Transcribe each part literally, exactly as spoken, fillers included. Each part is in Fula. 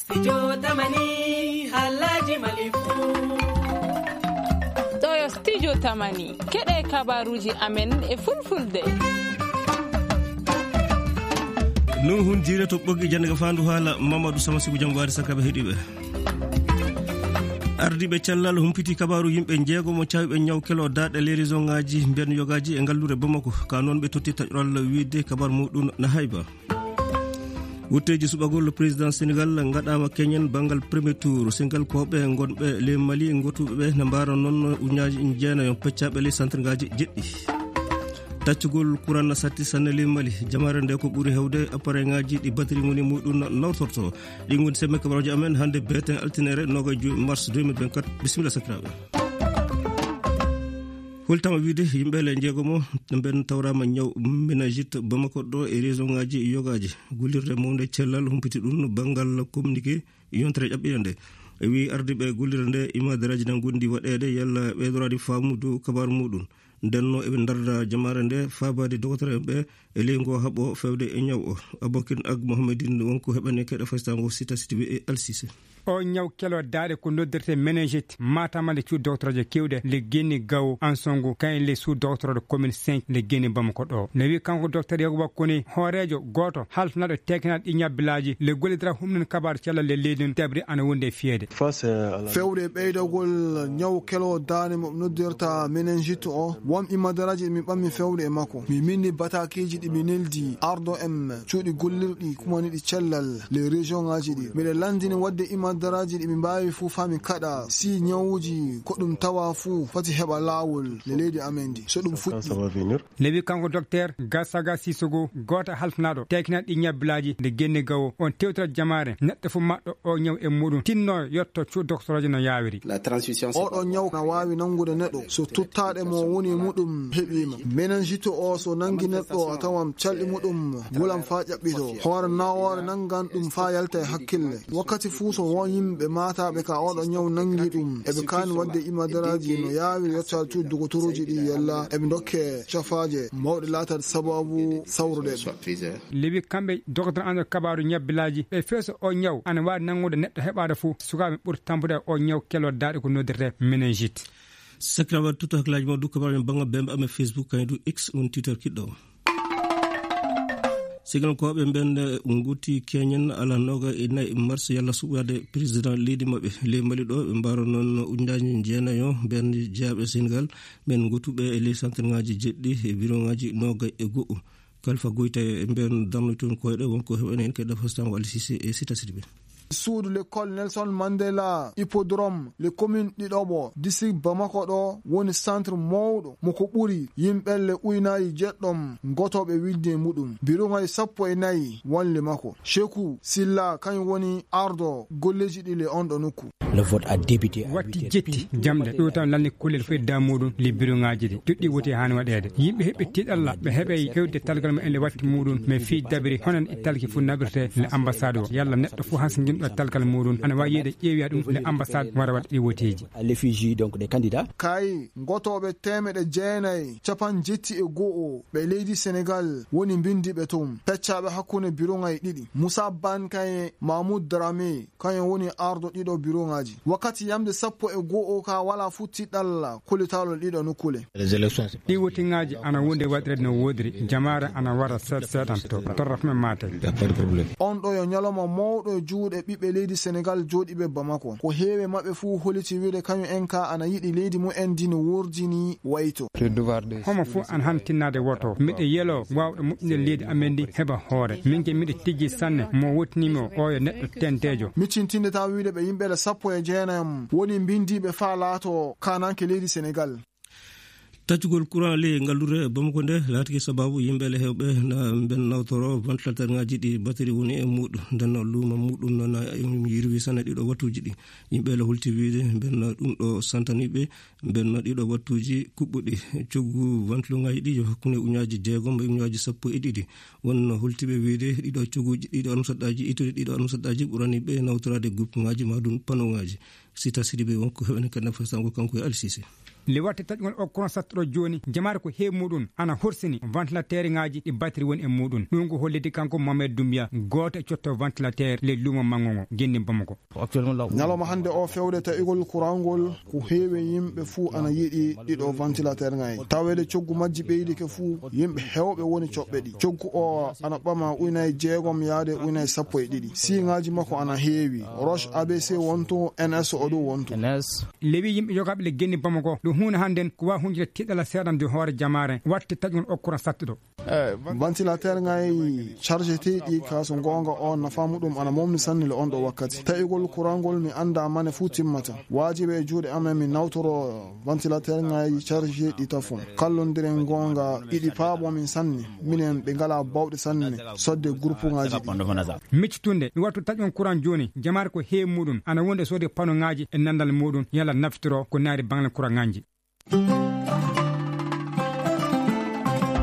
Studio Tamani, haalaaji Mali fuu. Ɗo yo Studio Tamani, keɗe kabaaruuji amen e Fulfulde. Nuhun Jiire to ɓoggi jannde ka faandu haala Mamadou Samasigu Jambaari Sakaɓe heɗiɓe. Ardiiɓe cellal humpiti kabaaru yimɓe njeegomo caawɓe ñaw kelo daaɗe ley région ŋaaji mbiyan yogaaji e ngalluure Bamako. Ka noon ɓe totti taƴoral wiide kabaaru muɗum na hayba. Wutteeji suɓagol président Sénégal ngaɗaama keñen banngal premier tour. Sénégal kooɓe ngonɓe ley Mali ngotuɓe ɓe na mbaara noon uñaaji jeenayo peccaaɓe ley centre ngaaji jeɗɗi. Taccugol kuran na satti sanne ley Mali. Jamaare nde ko ɓuri hewde appareil ngaaji ɗi batterie moni muɗum nawtorto. Ɗi ngoni semme kabaruuji amen hannde beeten altinere noogaye joy mars deux mille vingt-quatre. Bisimilla sakiraaɓe. Hultama wiide yimɓe le njeegomo ɓen tawraama ñaw méningite Bamako ɗo e région ngaaji yogaaji. Gullirde mawnde cellal humpiti ɗum banngal communiqué yontere ƴaɓɓiinde nde. E wii ardiiɓe gullirde nde imadaraaji na ngondi waɗeede yalla ɓeydoraade faamu dow kabaaru muɗum. Ndenno eɓe ndarda jamaare nde faabaade dogotoreeɓe ɓe e ley ngo haɓo fewde e ñaw o. Abokin Ag Mohamedin wonko heɓani keɗe faystaango Sita Sidibe e Alsise. O ñaw kelo daaɗe ko noddirte meningite, matamale cuuɗi doctorooje kewɗe, le Guinée gawo, Ansongo, kayen le sous doctorooɗo commune cinq, le Guinée Bamako ɗo. Ne wi kanko docteur Yakuba Kone, hooreejo gooto, haltanaɗo tekinal ɗi ñabbilaaji, le gollidira humnin kabaaru cellal le leydi, tabri ana wonde e fiyeede. Fewde e ɓeydagol ñaw kelo daaɗe mo noddirta meningite o, won imadaraaji ɗi mi ɓammi fewde e makko. Mi minni bataakiiji ɗi mi neldi ardo en cuuɗi gollirɗi kumaniɗi cellal le région ngaaji ɗi. Miɗe lanndini waɗde imadaraaji ɗi mi mbaawi fuu faa mi kaɗa si ñawuuji ko ɗum tawa fuu fati heɓa laawol le leydi amen ndi. So ɗum fuɗɗi. Newi kanko docteur Gasaga Sissoko, gooto e halfinaaɗo tekinal ɗi ñabbilaaji nde genne gawo, on tewtira jamaare neɗɗo fof maɗɗo o ñaw e muɗum tinno yotto cuuɗi doctorooje no yaawiri. Oɗo ñaw na waawi nanngude neɗɗo so tuttaɗe mo woni muɗum heɓiima. Meningite o so nanngi neɗɗo a tawan calɗi muɗum wulan faa ƴaɓɓito. Hoore nawoore nanngan ɗum faa yalta e hakkille. Wakkati fuu so won yimɓe maataaɓe ka oɗo ñaw nanngi ɗum, eɓe kaani waɗde imadaraaji no yaawiri yottaade cuuɗi dogotorooji ɗi yalla eɓe ndokke cafaaje mawɗe laataade sababu sawrude ɓe. Lewi kamɓe dogotor ano kabaaru ñabbilaaji ɓe feeso o ñaw ana waawi nanngude neɗɗo heɓaade fof sukaaɓe ɓuri tampude o ñaw kelo daaɗe ko noddirte meningite. Sakirawa tutto hakkilaaji mo dukka mbaɗen bannga bembe amen Facebook kañum du X woni Twitter kiɗɗo o. Sigankooɓe mben nguti keñen ala noga e nayi mars yalla suɓade président leydi maɓɓe ley Mali ɗo ɓe mbaro noon ujunnaaji jeenayo mben jeyaɓe Sénégal ɓen ngotuɓe e ley centre ngaji jeɗɗi e bureau ngaji noga e go'o. Kalfa Goyta e mben darnoy toon koyɗe wonko heɓani hen kadi dafa Samba Ali Cissé e Sita Sidibé. Suudu l'école Nelson Mandela, hippodrome, le commune Ɗiɗoɓo, district Bamako ɗo woni centre mawɗo mo ko ɓuri yimɓelle uynaaji jeɗɗom ngotooɓe wilde e muɗum. Biruŋay sappo e nayi wonle makko. Sheku Silla kañum woni ardo golleeji ɗi le on ɗo nokku. Le vote a débuté à watti huit heures jetti pile. Jamɗe ɗo tan lanni kullel fof e damuɗum le biruŋaaji ɗi. Duɗɗi woti haani waɗeede. Yimɓe heɓe tiɗalla ɓe heɓe hewde talgal mumen le watti muɗum. Mais fii dabiri hono e talki fof naɓirte le ambassade o. Yalla neɗɗo fof han so ngimɗo talgal muɗum. Ana waawi yiide ƴeewiya ɗum le ambassade wara waɗa ɗi woteeji. À l'effigie donc des candidats. Kay ngotooɓe teemeɗe jeenayi capan jetti e go'o ɓe leydi Sénégal woni mbindiiɓe toon. Peccaaɓe hakkunde biroŋaaji ɗiɗi. Moussa Ban kaye Mahmoud Dramé kañum woni ardo ɗiɗo biroŋaaji. Wakkati yamde sappo e go'o ka wala futti ɗalla kolitaalol ɗiɗo nokkule. Ɗi wotiŋaaji ana wonde waɗirede no woodiri. Jamaare ana wara seeɗa seeɗanto. Torra fuu men maate. On ɗo yo ñalawma mawɗo e juuɗe ɓiɓɓe leydi Sénégal jooɗiiɓe Bamako. Ko heewi maɓɓe fuu holiti wiide kañum en ka ana yiɗi leydi mumen ndi no wordini wayto. Homo fof ana han tinnaade woto. Miɗo yelo waawɗo moƴƴinde leydi amen ndi heɓa hoore. Min ke miɗo tijji sanne mo wotnimi o oyo neɗɗo tenteejo. Miccintinde taw wiide ɓe yimɓe ɗe sappo e jeenayam woni mbindiiɓe faa laato kaananke leydi Sénégal. Taccugol courant ley ngallure Bamako nde laatike sababu yimɓe le hewɓe na ben nawtoro ventilateur ngaji ɗi batterie woni e muɗum. Nden luuma muɗum noon e yirwi sanne ɗiɗo wattuji ɗi. Yimɓe le holti wiide ben ɗum ɗo santaniɓe ben ɗiɗo wattuji kuɓɓuɗi. Coggu ventilateur ngaji ɗi yo hakkunde uñaji jeegom e uñaji sappo e ɗiɗi. Won holtiɓe wiide ɗiɗo cogguji ɗiɗo armsaɗɗaji ittude ɗiɗo armsaɗɗaji ɓurani ɓe nawtorade groupe ngaji ma ɗum panneau ngaji. Sita Sidibé wonko heɓani kadi nafa sango kanko e Alisise. Le watte taƴgol o courant sattuɗo jooni, jamaare ko heewi muɗum ana horsini ventilateur ŋaaji ɗi batterie woni e muɗum. Ɗum ko holliti kanko Mohamed Doumbia, gooto e cotto ventilateur le luumo manngo ngo, genni Bamako. Ñalawma hannde o fewde taƴgol courant ngol, ko heewi yimɓe fuu ana yiɗi ɗiɗo ventilateur ŋaaji. Taweede coggu majji ɓeydike fuu, yimɓe heewɓe woni coɓɓe ɗi. Coggu o ana ɓama ujunaaji jeegom yaade ujunaaji sappo e ɗiɗi. Siŋaaji makko ana heewi. Roche A B C wonto, N S o ɗum wonto. Lewi yimɓe jogaaɓe le genni Bamako, ɗum huunde hannden ko waawi huncude tiiɗalla seeɗa nde hoore jamaare, watte taƴgol o courant sattuɗo. Ventilateur ŋaaji chargé teeɗi ka so goonga o nafa muɗum ana momni sanne le on ɗo wakkati. Taƴgol courant ngol mi annda mane fuu timmata. Waajibi e juuɗe amen mi nawtoro ventilateur ŋaaji chargé ɗi tafon. Kallondiren goonga iɗi paabo min sanne. Minen ɓe ngala bawɗe sanne sodde groupe ŋaaji ɗi. Miccitunde, mi wattu taƴon courant jooni, jamaare ko heewi muɗum, ana wonde soode pano ŋaaji e nanndal muɗum, yalla naftoro ko naari baŋle courant ŋaaji.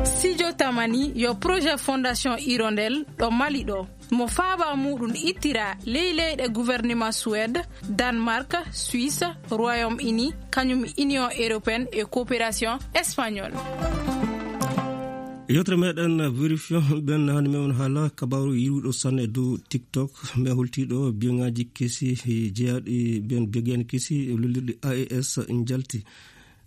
Studio Tamani yo projet Fondation Hirondelle ɗo Mali ɗo. Mo faaba muɗum ittira ley leyɗe gouvernement Suède, Danemark, Suisse, Royaume-Uni, kañum Union Européenne e Coopération Espagnole. Yewtere meɗen vérifion ɓen hannde meɗen haala kabaru yiruɗo sanne e dow TikTok, mais holtiɗo biyeŋaaji kesi jeyaaɗi ɓen biyeŋaaji kesi e lullirɗi A E S njalti.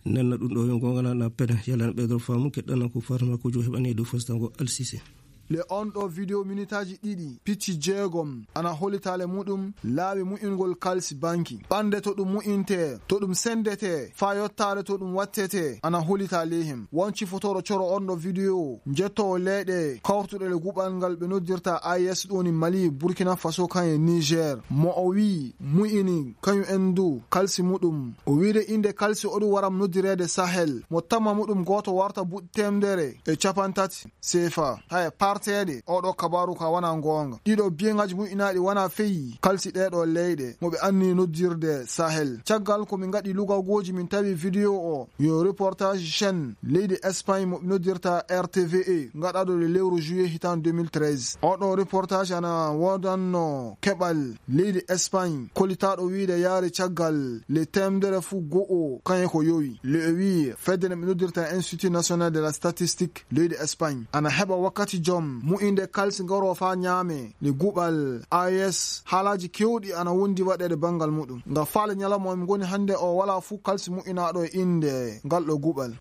Nenna ɗum ɗo yo goonga na pene yalana ɓeydoro faamu keɗɗana ko Fatma Kojo heɓani e dow fostango Alsise. Le on ɗo video minitaaji ɗiɗi, picci jeegom, ana hollitaale muɗum, laawi mu'ingol kalsi banki. Ɓannde to ɗum mu'intee, to ɗum senndetee, faa yottaade to ɗum wattetee, ana hollitaale hem. Won cifotoro coro on ɗo video, njettowo leyɗe, kawrtuɗe le guɓal ngal ɓe noddirta A E S ɗum woni Mali, Burkina Faso, kan e Niger. Mo o wi'i, mu'ini, kañum en du, kalsi muɗum. O wi'de innde kalsi o ɗum waram noddireede Sahel. Mo tamma muɗum gooto warta buɗ teemdere e capantati. Seefa. Haya, parteede, oɗo kabaaru ka wana goonga. Ɗiɗo biyeŋaaji mu'inaaɗi wana feyi, kalsi ɗeeɗo leyɗe, mo ɓe anni noddirde Sahel. Caggal ko min ngaɗi lugagooji, min tawi video o, yo reportage chaîne leydi Espagne mo ɓe noddirta R T V E, ngaɗaaɗo le lewru juillet hitan deux mille treize. Oɗo reportage ana woodanno keɓal leydi Espagne, kolitaaɗo wiide yaari caggal le teemdere fuu go'o, kañe ko yowi. Le o wi'i, fedde nde ɓe noddirta Institut National de la Statistique, leydi Espagne ana heɓa wakkati jom mu'inde kalsi ngaro faa ñaame le guɓal A E S. Haalaaji keewɗi ana wondi waɗeede banngal muɗum. Nga faale ñalawma mi ngoni hannde o, walaa fuu kalsi mu'inaaɗo e innde ngal ɗo guɓal.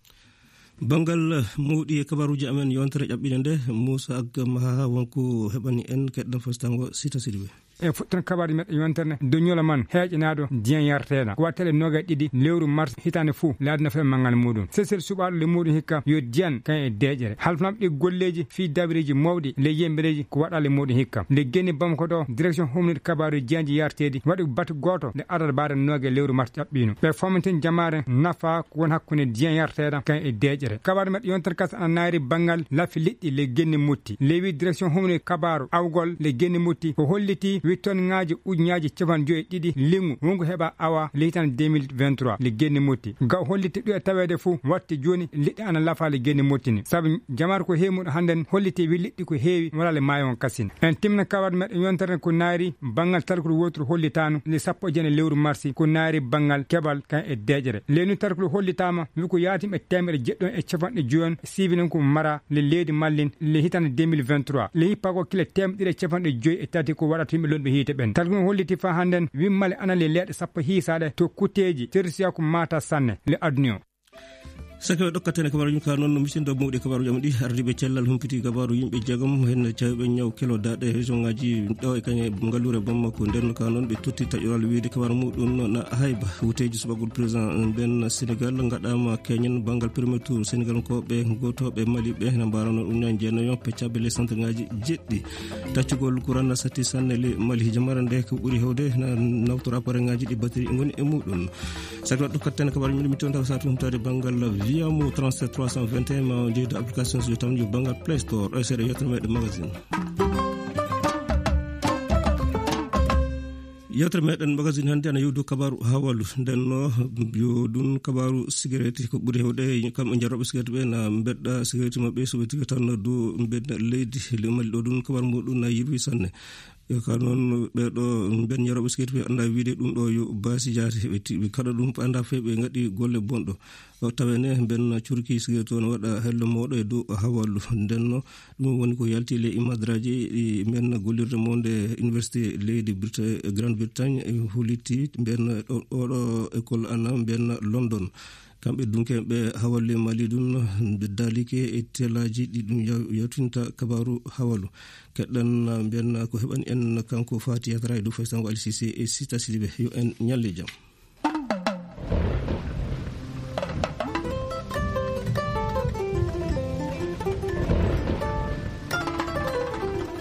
Banngal mawɗi e kabaruuji amen yontere ƴaɓɓiinde nde, Muusa Agga Maha wonko heɓani en keɗɗan fostango Sita Sidibe. E fuɗɗoton kabaaruuji meɗen yontere nde, doñola man heeƴanaaɗo diyan yarteeɗa. Ko wattale noogay ɗiɗi lewru mars hitaande fuu, laadino fe manngal muɗum. Sesel suɓaaɗo le muɗum hikka yo diyan kan e deeƴere. Halfnaaɓe ɗi golleeji fii dabireeji mawɗi le yembereeji ko waɗaa le muɗum hikka. Le genni Bamako ɗo, direction humnit kabaaru diyanji yarteeɗi waɗi batu gooto le adada baare noogay lewru mars ƴaɓɓiino. Ɓe fomntin jamaare nafa ko won hakkunde diyan yarteeɗa kan e deeƴere. Kabaaru meɗen yontere kas ana naayri banngal lafi liɗɗi le genni mutti. Lewi direction humni kabaaru awgol le genni mutti ko holliti wittonŋaaji ujunaaji capanɗe joyi e ɗiɗi liŋu wonko heɓa awa le hitande deux mille vingt-trois le genni mutti. Ga o holliti ɗu e taweede fuu watti jooni liɗɗi ana lafa le genni mutti ni. Sabu jamaare ko heewi muɗum hannden holliti wi liɗɗi ko heewi wala le maayo on kasin. En timna kabaaru meɗen yontere ko naayri banngal talkuru wooturu hollitaano le sappo e jeenayi lewru marsi ko naayri banngal keɓal kan e deeƴere. Leynu tarkulu hollitaama wi ko yaatima e teemedde jeɗɗi e capanɗe joyi on siibi noon ko mara le leydi mallin le hitande deux mille vingt-trois. Le hippagol kile teemedde ɗiɗi e capanɗe joyi e tati ko waɗata yimɓe lonɓe hiite ɓen. Tarkulu holliti faa hannden wi mali ana le leeɗe sappo hiisaaɗe to kuteeji tersiya ko maata sanne le aduna o. Sakiɓe ɗokkatene kabaruji ka noon no misindo mawɗi kabaruji am ɗi ardiɓe cellal humpiti kabaru yimɓe jeegom hen cawɓe ñaw kelo daɗe région ngaji ɗo e kañe ngalluure Bamako nden ka noon ɓe totti taƴoral wiide kabaru muɗum na hayba wuteji subagol président ben Sénégal gaɗama keñen banngal premier tour Sénégal ko ɓe gotoɓe Mali ɓe na mbarano ɗum ñan jeenayo peccaɓe les centre ngaji jeɗɗi taccugol courant na satti sanne le Mali jamara nde ko ɓuri hewde na nawtora appareil ngaji ɗi batterie ngoni e muɗum. Sakiɓe ɗokkatene kabaru muɗum mi tonta satu humtade banngal via mo trente-sept trois cent vingt et un ma jeyde application so tan yo banngal Play Store ɗo e seeɗa yettere meɗen magazine. Yewtere meɗen magazine hannde ana yewdu kabaru hawalu ndenno yo ɗum kabaru sigareti ko ɓuri hewde kamɓe jarooɓe sigareti ɓe na mbeɗɗa sigareti maɓɓe soɓe tiga tan do mbeɗɗa leydi le Mali ɗo ɗum kabaru muɗum na yirwi sanne. E ka noon ɓee ɗo mben yarooɓe sigaret ɓe annda wiide ɗum ɗo yo baasi jaate, ɓe ti-, ɓe kaɗa ɗum, ɓe annda fe ɓe ngaɗi golle bonɗo. O tawene mben curki sigaret o no waɗa hello mawɗo e dow hawalu. Nden no ɗum woni ko yalti le imadraji ɗi mben gollirde mo nde Université leydi Brita-, Grande Bretagne, e huliti mben ɗo, ɗo, ɗo école ana mben London. Kamɓe dunkeeɓe hawalle Mali ɗum, ɓe daalike e telaaji ɗi ɗum yaw-, yawtinta kabaaru hawalu. Keɗɗan mbiyan ko heɓani en kanko Fati Yatara e dow Faysango Ali Cissé e Sita Sidibé. Yo en ñalle jam.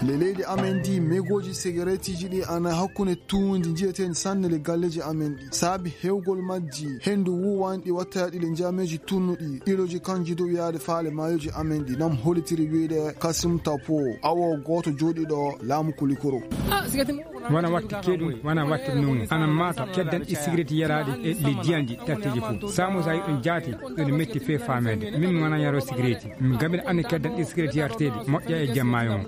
Le leydi amen ndi, megooji sigaretiji ɗi ana hakkunde tuundi njiyeteeɗi sanne le galleeji amen ɗi. Saabi heewgol majji, henndu wuuwaani ɗi wattaaɗi le njaameeji tunnuɗi, ilooji kanji dow yaade faale maayoji amen ɗi. Nam holitiri wiide Kasim Tapo, awo gooto jooɗiiɗo laamu Kulikoro. Wana watti keɗum, wana watti numu. Ana mata keddan ɗi sigaret yaraaɗi e le diyanɗi tatteji fof. Samu sa yiɗum jaati, ɗum metti fe fameede. Min mi wana yaro sigaret. Min gamin anni keddan ɗi sigaret yarteeɗi, moƴƴa e jamma yo.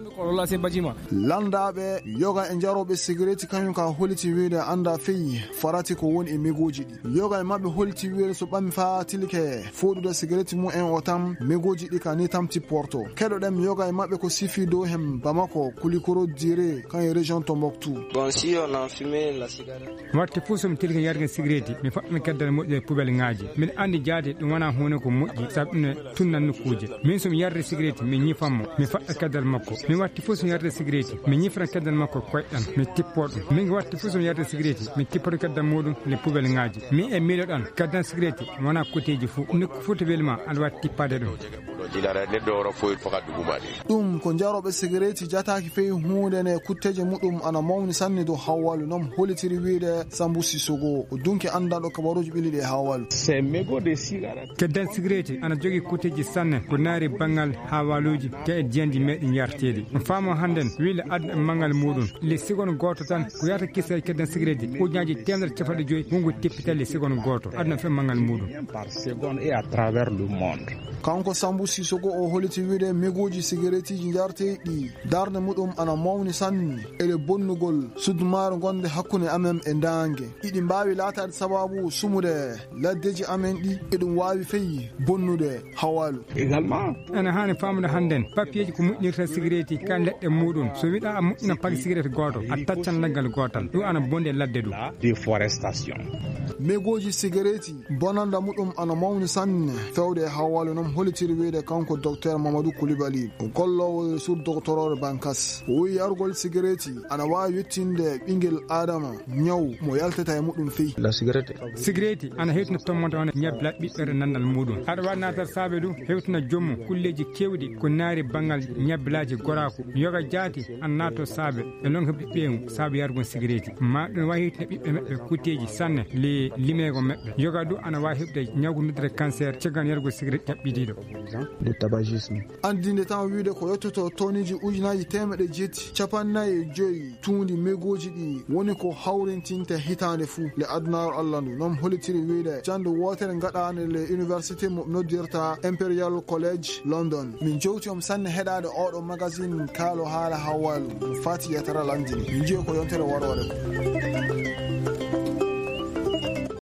Lanndaaɓe yoga e njarooɓe sigaret kañum ka holiti wiide annda fey farati ko woni e megooji ɗi. Yoga e maɓɓe holiti wiide so ɓami faa tilke fooɗude sigaret mum en o tam, megooji ɗi ka ni tam tipporto. Keɗoɗen yoga e maɓɓe ko sifi dow hem Bamako, Kulikoro Dire, kan e région Tombouctou. Bon, si on a fumé la cigarette. Watti fof so mi tilke yarga sigaret, mi faɗɗa keddal moƴƴo e poubelle ŋaaji. Min anndi jaade ɗum wona huunde ko moƴƴi, sabu ɗum ne tunna nokkuuje. Min so mi yarde sigaret, mi ñifan mo, mi faɗɗa keddal makko. Mi watti fof so mi yarde sigaret, mi ñifana keddal makko koyɗan, mi tippo ɗum. Min watti fof so mi yarde sigaret, mi tippoto keddal muɗum le poubelle ŋaaji. Mi e miiloɗan, keddal sigaret wona koteeji fof. Nokku fof to weli ma, aɗa wawi tippade ɗum. Ɗum ko njarooɓe sigareeti jataaki fey huunde nde kutteeje muɗum ana mawni sanne dow Hawwalu, non holitiri wiide Sambu Sissogo, o dunki anndanɗo kabaruuji ɓilliɗi e Hawwalu. Keddan sigareeti ana jogii kutteeji sanne ko naari banngal Hawwaluuji ka e diyanji meeɗi yarteeɗi. On faamo hannden wiile aduna e manngal muɗum. Le seconde gooto tan ko yahata kisa e keddan sigareeti ujunnaaji teemedere capanɗe joyi wongo teppital le seconde gooto aduna fe manngal muɗum. Par seconde et à travers le monde. Kanko Sambu Sissogo o holiti wiide megooji sigareetiji njarteeɗi ɗi darnde muɗum ana mawni sanne ele bonnugol sudmaare gonde hakkunde amen e ndaange. Iɗi mbaawi laataade sababu sumude laddeji amen ɗi, eɗum waawi fey bonnude Hawwalu. Également, ene haani faamude hannden papiyeeji ko moƴƴinirta sigareeti ka leɗɗe muɗum. So wiɗa a moƴƴina paki sigareeti gooto, a taccan leggal gootal. Ɗum ana bonde ladde ɗum. Déforestation. Megooji sigareeti bonanda muɗum ana mawni sanne fewde e Hawwalu, non holitiri wiide kanko Docteur Mamadou Coulibaly, o golloowo e sur doctorore Bankas. O wi'i yargol sigareeti ana waawi yettinde ɓingel Adama ñaw mo yaltata e muɗum fey. La cigarette. Sigareeti ana hewtina tommonde on ñabbila ɓiɓɓere nandal muɗum. Aɗa waawi natar saabe ɗum hewtina joomum kulleeji keewɗi ko naari banngal ñabbilaaji goraaku. Yoga jaati ana naato saabe e lonka ɓiɓɓeemu saabe yargol sigareeti. Ma ɗum waawi hewtina ɓiɓɓe maɓɓe kutteeji sanne le limeego maɓɓe. Yoga ɗum ana waawi heɓde ñawgu noddire cancer caggal yargol sigareeti ƴaɓɓitiiɗo. De tabagisme. Anndinde tan wiide ko yottoto toniji ujunaaji teemeɗe jeeti capannayi e joyi tuundi megooji ɗi woni ko hawrintinte hitaande fuu le adunaaru Allah ndu. Non holitiri wiide jannde wootere ngaɗaande le université mo noddirta Imperial College London. Min jowti on sanne heɗaade oɗo magazine kaalo haala Hawwalu. Fati Yatara lanndini. Min njiyo ko yontere waroore ko.